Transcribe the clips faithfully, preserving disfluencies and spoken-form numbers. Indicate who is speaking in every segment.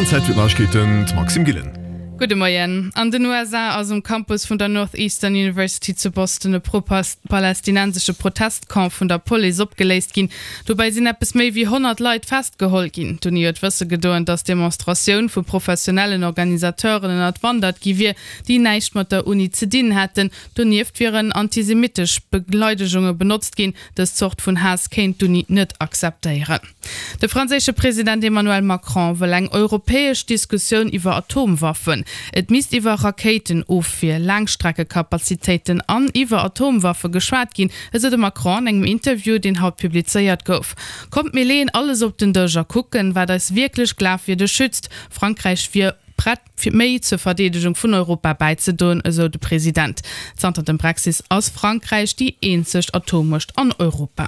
Speaker 1: An Zäit fir d'Neiegkeeten, d'Maxime Gillen.
Speaker 2: Gudde Moien. An den U S A ass um Campus vun der Northeastern University zu Boston e pro-palästinensesche Protestcamp vun der Police opgeléist ginn. Dobäi sinn eppes méi wéi honnert Leit festgeholl ginn. D'Uni huet wësse gedoen, datt d'Demonstratioun vu professionellen Organisateuren ënnerwandert gi wier, déi näischt mat der Uni ze dinn hätten. Donieft wieren antisemittesch Beleidegunge benotzt ginn. Dës Zort vun Haass kéint d'Uni net akzeptéieren. De franséische President Emmanuel Macron wëll eng europäesch Diskussioun iwwer Atomwaffen. Et misst iwwer Rakéitenofwier, Laangstreckekapazitéiten an iwwer Atomwaffe geschwat ginn, esou de Macron an engem Interview, deen haut publizéiert gouf. Kommt, mir leeën alles op den Dësch a kucken, wat eis wierklech glafwierdeg schützt. Frankräich wier prett, fir méi zur Verdeedegung vun Europa bäizedoen, esou de President. Zanter dem Brexit ass Frankräich déi eenzeg Atommuecht an Europa.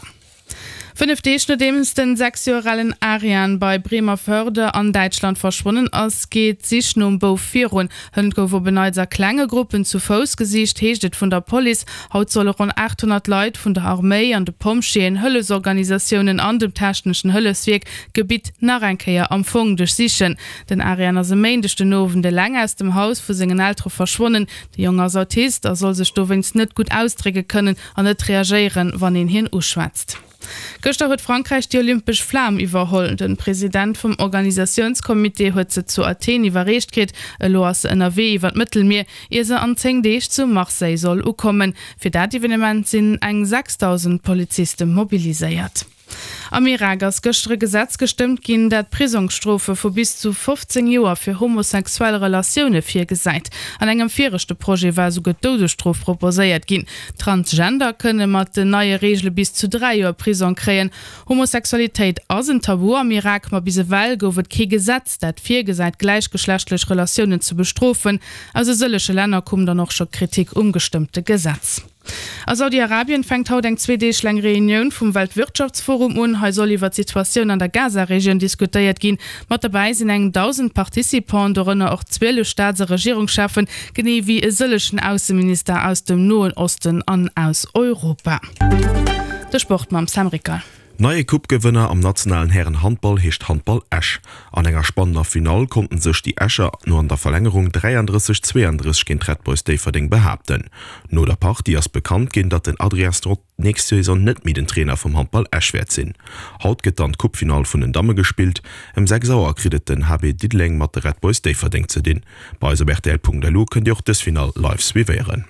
Speaker 2: Fënnef Deeg nodeems den sechs Joer alen Arian bei Bremervörde an Däitschland verschwonnen ass, geet d'Sich nom Bouf virun. Hënt gouf op en Neits a klenge Gruppen zu Fouss gesicht, heescht et vun der Police. Haut solle ronn achthonnert Leit vun der Arméi an de Pompjeeën, Hëllefsorganisatiounen an dem techneschen Hëllefswierk d'Gebitt nach eng Kéier am Fong duerchsichen. Den Arian ass e Méindeg den Owend eleng aus dem Haus vu sengen Eltere verschwonnen. De Jong ass Autist a soll sech dowéinst net gutt ausdrécke kënnen an net reagéieren, wann een hien uschwätzt. Gëschter huet Frankräich déi olympesch Flam iwwerholl. Den President vum Organisatiounscomité huet se zu Athen iwwerreecht kritt. Elo ass se ënnerwee iwwer d'Mëttelmier, ier se an zéng Deeg zu Marseille soll ukommen. Fir dat Evenement sinn eng sechstausend Poliziste mobiliséiert. Am Irak ass gëschter e Gesetz gestëmmt ginn, dat Prisongsstrofe vu bis zu fofzéng Joer fir homosexuell Relatioune virgesäit. An engem viregte Projet war esouguer d'Doudesstrof proposéiert ginn. Transgender kënne mat den neie Reegele bis zu dräi Joer Prisong kréien. Homosexualitéit ass en Tabu am Irak, ma bis ewell gouf et kee Gesetz, dat virgesäit, gläichgeschlechtlech Relatiounen ze bestrofen. Aus e sëllege Länner koum dann och scho Kritik um gestëmmte Gesetz. A Saudi-Arabien fänkt haut eng zwee Deeg laang Reunioun vum Weltwirtschaftsforum un. Hei soll iwwer d'Situatioun an der Gaza-Regioun diskutéiert ginn. Mat derbäi sinn eng dausend Participanten, dorënner och zwielef Staats- a Regierungscheffen, genee wéi e sëllegen Ausseminister aus dem Noen Osten an aus Europa. De Sport mam Sam Ricker.
Speaker 3: Neie Coupe-Gewënner am nationalen Hären-Handball heescht Handball Esch. An enger spannender Finall konnten sech déi Escher no an der Verlängerung dräiandrësseg zweeandrësseg géint Red Boys Déifferdeng behaapten. No der Partie ass bekannt ginn, datt den Adrien Strott d'nächst Saison net méi den Trainer vum Handball Esch wäert sinn. Haut gëtt dann d'Coupe-Finall vun den Damme gespillt. Ëm sechs Auer kritt et den H B Diddeleng mat de Red Boys Déifferdeng ze dinn. Bei eis op R T L Punkt L U kënnt Dir och dës Finall live suivéieren.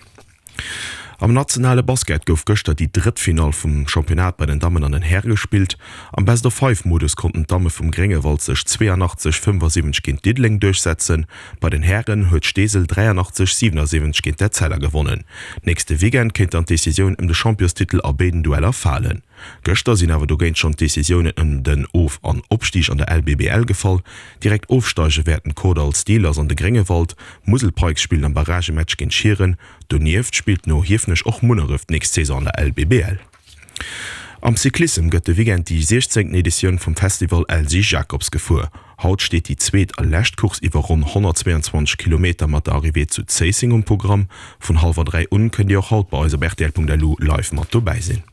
Speaker 3: Am nationale Basket gouf gëschter déi drëtt Finall vum Championnat bei den Dammen an den Häre gespillt. Am Best-of-Five-Modus konnten d'Damme vum Gréngewald sech zweeënachtzeg fënnefasiwwenzeg géint Diddeleng duerchsetzen. Bei den Hären huet Steesel dräianachtzeg siewenasiwwenzeg géint d'Etzella gewonnen. Nächste Weekend kéint dann d'Decisioun ëm de Championstitel a béiden Dueller falen. Gëschter sinn awer dogéint schonn d'Decisiounen ëm den Of- an Opstig an der L B B L gefall. Direkt ofsteige wäerten d'Kordall Steelers an de Gréngewald. Musel Pikes spillen am Barragematch géint Schieren. Donieft spillt no Hiefenech och Munneref d'nächst Saison an der L B B L. Am Cyclissem gëtt de Weekend déi siechzéngten Editioun vum Festival Elsy Jacobs gefuer. Haut steet déi zweet a lescht Course iwwer ronn honnertzweeanzwanzeg Kilometer mat der Arrivée zu Zéisseng um Programm. Vun hallwer dräi un kënnt Dir och haut bei eis op R T L Punkt L U live mat dobäi sinn.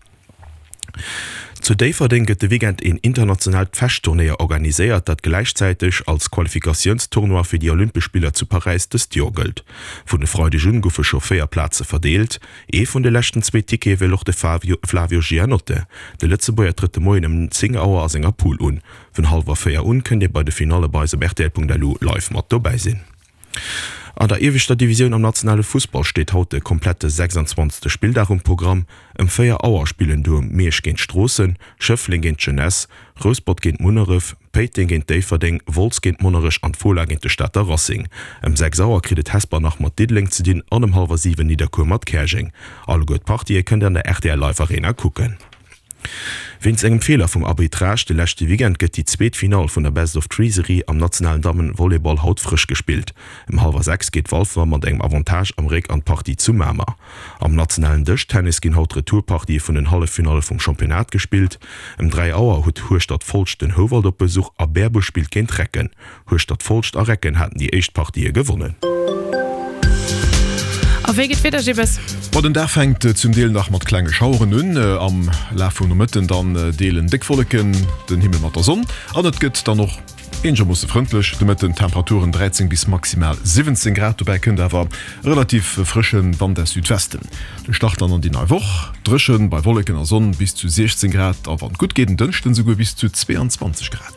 Speaker 3: Zu Déifferdeng gëtt de Weekend een internationaalt Fechtturnéier organiséiert, dat gläichzäiteg als Qualifikatiounstournoi fir déi Olympesch Spiller zu Paräis dëst Joer gëllt. Vun de Freideg un goufe scho véier Plaze verdeelt. Ee vun de leschten zwee Tickete wëll och de Fabio, Flavio Gianotte. De Lëtzebuerger trëtt de Moien ëm zéng Auer a senger Pool un. Vun hallwer véier un kënnt Dir bei de Finalle bei eis op R T L Punkt L U live mat dobäi sinn. An der ieweschter Divisioun am nationale Fussball steet haut de komplette sechsundzwanzegste Spilldag um Programm. Ëm véier Auer spillen du Miersch géint Stroossen, Schëffleng géint Jeunesse, Rouspert géint Munneref, Péiteng géint Déifferdeng, Wolz géint Monnerech an d'Fola géint de Stater Racing. Ëm sechs Auer kritt et Hesper nach mat Diddeleng ze dinn an ëm hallwer siwen Nidderkuer mat Käerjeng. Alleguer d'Partië kënnt Dir an der R T L Live Arena kucken. Wéinst engem Feeler vum Arbitrage de leschte Weekend gëtt déi zweet Finall vun der Best of Three Serie am nationalen Dammen-Volleyball haut frësch gespillt. Ëm hallwer sechs geet Walfer mat engem Avantage am Réck an d'Partie zu Mamer. Am nationalen Dëschtennis ginn haut Retourpartië vun den Halleffinalle vum Championnat gespillt. Ëm dräi Auer huet Hueschtert Folscht den Houwald op Besuch a Berbuerg spillt géint Recken. Hueschtert Folscht a Recken haten déi éischt Partië gewonnen.
Speaker 2: A wéi geet d'Wieder, Gibbes?
Speaker 1: Bon, den Dag fänkt zum Deel nach mat klenge Schaueren un. Am Laf vum Nomëtten dann deelen déck Wolleken den Himmel mat der Sonn an et gëtt dann och Eenegermoosse frëndlech de Mëtten, Temperaturen dräizéng bis maximal siwwenzéng Grad. Dobäi kënnt awer e relativ frësche Wand aus Südwesten. De Start dann an déi nei Woch, dréchen bei Wolleken a Sonn bis zu siechzéng Grad a wann et gutt geet en Dënschden esouguer bis zu zweeanzwanzeg Grad.